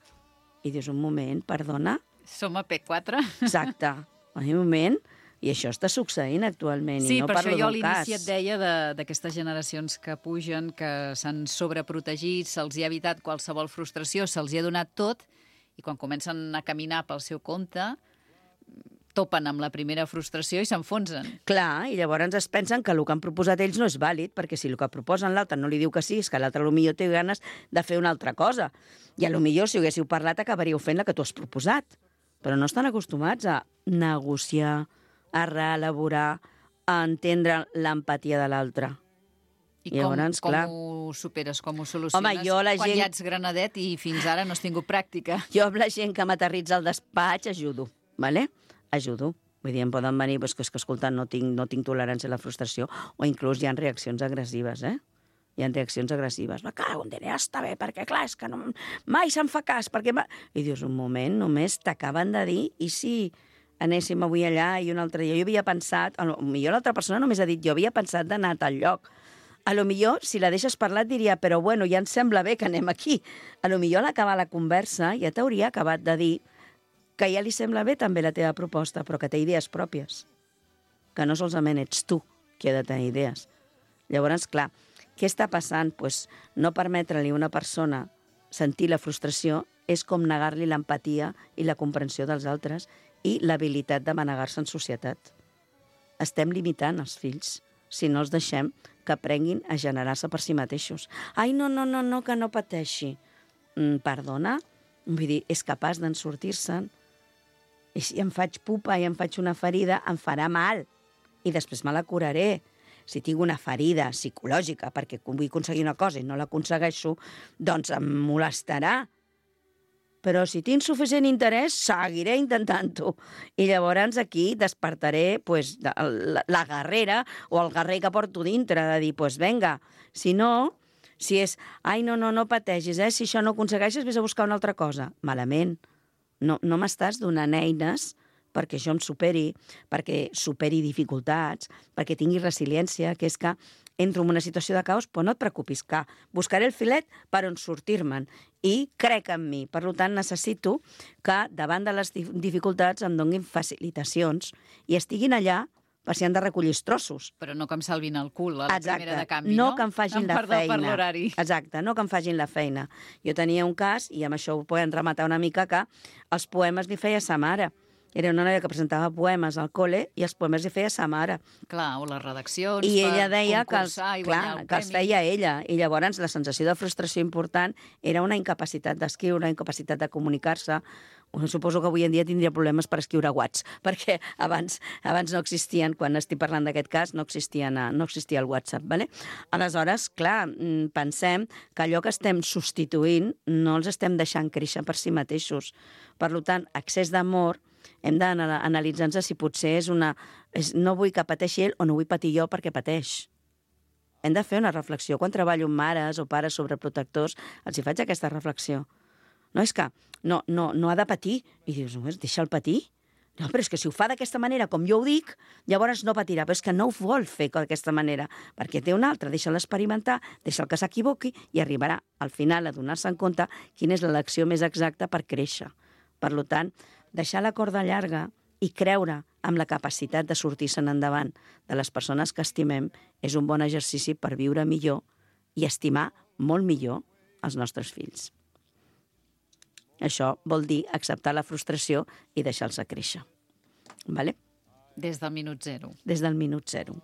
I dius, un moment, perdona? Som a P quatre. Exacte. Un moment. I això està succeint actualment. Sí, i no per parlo això jo a d'un cas. l'inici et deia d'aquestes generacions que pugen, que s'han sobreprotegit, se'ls hi ha evitat qualsevol frustració, se'ls hi ha donat tot, i quan comencen a caminar pel seu compte, topen amb la primera frustració i s'enfonsen. Clar, i llavors es pensen que el que han proposat ells no és vàlid, perquè si el que proposen l'altre no li diu que sí, és que l'altre potser té ganes de fer una altra cosa. I potser si ho haguéssiu parlat acabaríeu fent la que tu has proposat. Però no estan acostumats a negociar, a reelaborar, a entendre l'empatia de l'altre. I com, llavors, com clar, ho superes, com ho soluciones? Home, jo, la quan gent... ja ets granadet i fins ara no has tingut pràctica. Jo amb la gent que m'aterritza al despatx ajudo, ¿vale? ajudo. Vull dir, em poden venir, pues, que, és que escolta, no tinc, no tinc tolerància a la frustració, o inclús hi ha reaccions agressives, eh? Hi ha reaccions agressives. Me cago en Déu, ja està bé, perquè clar, és que no, mai se'n fa cas, perquè... Ma... I dius, un moment, només t'acaben de dir, i si anéssim avui allà i un altre dia? Jo havia pensat, potser l'altra persona només ha dit, jo havia pensat d'anar a tal lloc. A lo millor, si la deixes parlar, et diria, però bueno, ja em sembla bé que anem aquí. A lo millor a l'acabar la conversa ja t'hauria acabat de dir que ja li sembla bé també la teva proposta, però que té idees pròpies, que no solament ets tu qui ha de tenir idees. Llavors, clar, què està passant? Pues no permetre-li a una persona sentir la frustració és com negar-li l'empatia i la comprensió dels altres i l'habilitat de manegar-se en societat. Estem limitant els fills. si no els deixem que aprenguin a generar-se per si mateixos. Ai, no, no, no, no, que no pateixi. Mm, perdona? Vull dir, és capaç d'en sortir-se'n. I si em faig pupa i em faig una ferida, em farà mal. I després me la curaré. Si tinc una ferida psicològica perquè vull aconseguir una cosa i no l'aconsegueixo, doncs em molestarà. Però si tinc suficient interès, seguiré intentant-ho. I llavors aquí despertaré pues, la, la guerrera o el guerrer que porto dintre, de dir, pues venga, si no, si és, ai, no, no, no pateixis, eh? Si això no aconsegueixes, vés a buscar una altra cosa. Malament. No, no m'estàs donant eines perquè això em superi, perquè superi dificultats, perquè tingui resiliència, que és que entro en una situació de caos, però no et preocupis, que buscaré el filet per on sortir-me'n i crec en mi. Per tant, necessito que davant de les dificultats em donin facilitacions i estiguin allà per si han de recollir els trossos. Però no que em salvin el cul a la Exacte. primera de canvi, no? no? que em facin Em la perdó feina. per l'horari. Exacte, no que em facin la feina. Jo tenia un cas, i amb això ho podem rematar una mica, que els poemes li feia sa mare. Era una noia que presentava poemes al col·le i els poemes li feia sa mare. Clar, o les redaccions I ella deia que els, i clar, guanyar el que els premi. feia ella. I llavors la sensació de frustració important era una incapacitat d'escriure, incapacitat de comunicar-se. Suposo que avui en dia tindria problemes per escriure whats, perquè abans, abans no existien, quan estic parlant d'aquest cas, no, existien, no existia el WhatsApp. Vale? Aleshores, clar, pensem que allò que estem substituint no els estem deixant créixer per si mateixos. Per tant, excés d'amor, hem d'analitzar-nos si potser és una... És, no vull que pateixi ell o no vull patir jo perquè pateix. Hem de fer una reflexió. Quan treballo amb mares o pares sobreprotectors, els hi faig aquesta reflexió. No és que no, no, no ha de patir. I dius, no, deixa'l patir. No, però és que si ho fa d'aquesta manera, com jo ho dic, llavors no patirà. Però és que no ho vol fer d'aquesta manera, perquè té una altra. Deixa'l experimentar, deixa'l que s'equivoqui i arribarà al final a donar-se en compte quina és l'elecció més exacta per créixer. Per tant, deixar la corda llarga i creure amb la capacitat de sortir-se'n endavant de les persones que estimem és un bon exercici per viure millor i estimar molt millor els nostres fills. Això vol dir acceptar la frustració i deixar-los créixer. Vale? Des del minut zero. Des del minut zero.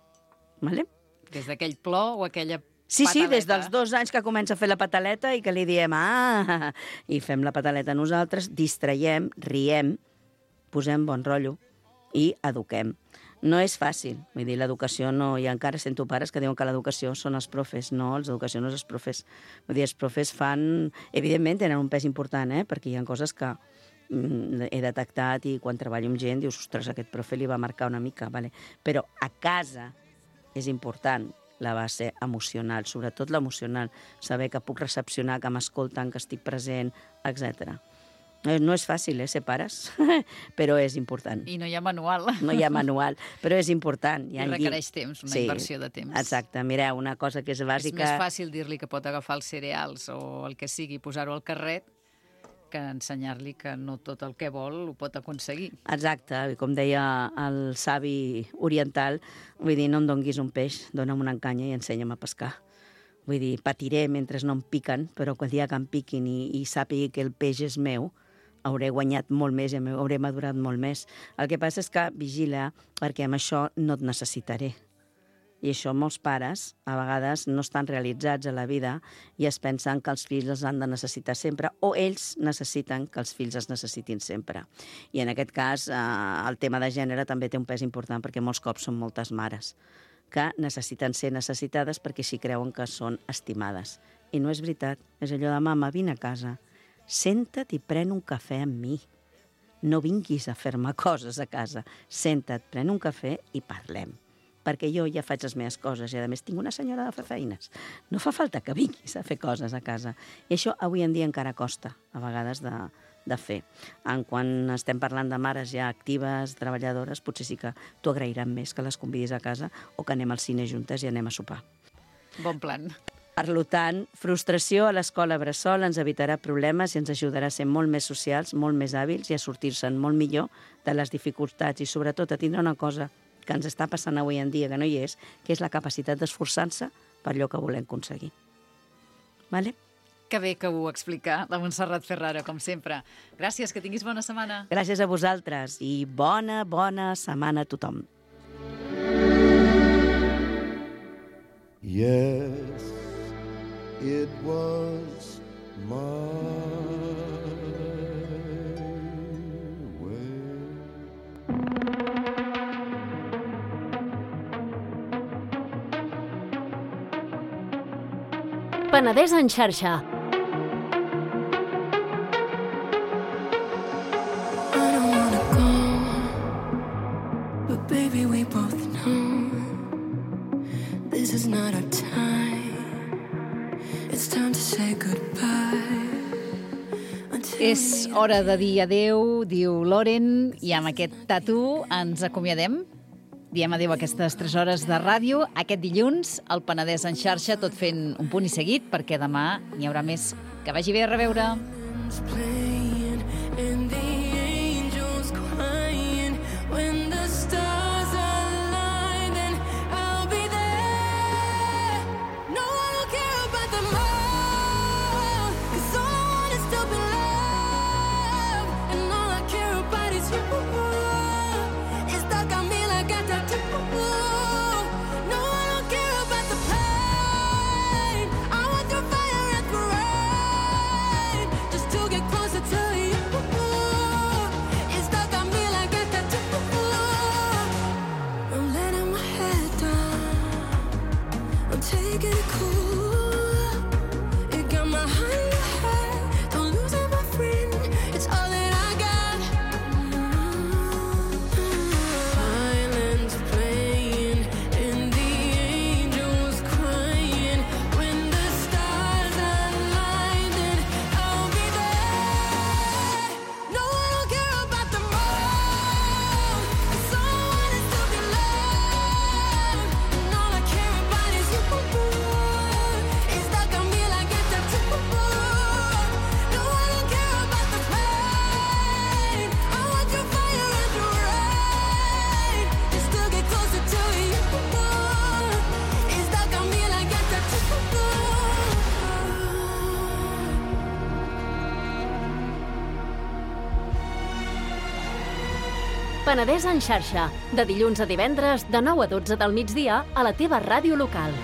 Vale? Des d'aquell plor o aquella Sí, sí, pataleta. des dels dos anys que comença a fer la pataleta i que li diem, ah, i fem la pataleta nosaltres, distraiem, riem, posem bon rotllo i eduquem. No és fàcil, vull dir, l'educació no... I encara sento pares que diuen que l'educació són els profes. No, l'educació no és els profes. Vull dir, els profes fan... Evidentment tenen un pes important, eh? Perquè hi ha coses que mm, he detectat i quan treballo amb gent dius, ostres, aquest profe li va marcar una mica, vale? Però a casa és important la base emocional, sobretot l'emocional, saber que puc recepcionar, que m'escolten, que estic present, etcètera. No és fàcil, eh, ser pares, però és important. I no hi ha manual. No hi ha manual, però és important. I requereix temps, una sí, inversió de temps. Exacte. Mireu, una cosa que és bàsica... És més fàcil dir-li que pot agafar els cereals o el que sigui, posar-ho al carret, que ensenyar-li que no tot el que vol ho pot aconseguir. Exacte, i com deia el savi oriental, vull dir, no em donguis un peix, dona'm una encanya i ensenya'm a pescar. Vull dir, patiré mentre no em piquen, però el dia que em piquin i, i sàpigui que el peix és meu, hauré guanyat molt més i hauré madurat molt més. El que passa és que vigila, perquè amb això no et necessitaré. I això molts pares, a vegades, no estan realitzats a la vida i es pensen que els fills els han de necessitar sempre o ells necessiten que els fills els necessitin sempre. I en aquest cas, eh, el tema de gènere també té un pes important perquè molts cops són moltes mares que necessiten ser necessitades perquè s'hi creuen que són estimades. I no és veritat. És allò de, mama, vine a casa, senta't i pren un cafè amb mi. No vinguis a fer-me coses a casa. Senta't, pren un cafè i parlem. Perquè jo ja faig les meves coses i, a més, tinc una senyora de fer feines. No fa falta que vinguis a fer coses a casa. I això avui en dia encara costa, a vegades, de, de fer. En quan estem parlant de mares ja actives, treballadores, potser sí que t'ho agrairan més que les convidis a casa o que anem al cine juntes i anem a sopar. Bon plan. Per tant, frustració a l'escola bressol ens evitarà problemes i ens ajudarà a ser molt més socials, molt més hàbils i a sortir-se'n molt millor de les dificultats i, sobretot, a tindre una cosa que ens està passant avui en dia, que no hi és, que és la capacitat d'esforçar-se per allò que volem aconseguir. Vale? Que bé que ho explica la Montserrat Ferraro, com sempre. Gràcies, que tinguis bona setmana. Gràcies a vosaltres i bona, bona setmana a tothom. Yes, it was my way. Penedès en xarxa. Baby, we both know this is not our time. It's time to say goodbye. És hora de dir adeu, diu Loren, i amb aquest tatu ens acomiadem. Diem adeu a aquestes tres hores de ràdio. Aquest dilluns, el Penedès en xarxa, tot fent un punt i seguit, perquè demà n'hi haurà més. Que vagi bé, a reveure. Penedès en xarxa, de dilluns a divendres, de nou a dotze del migdia, a la teva ràdio local.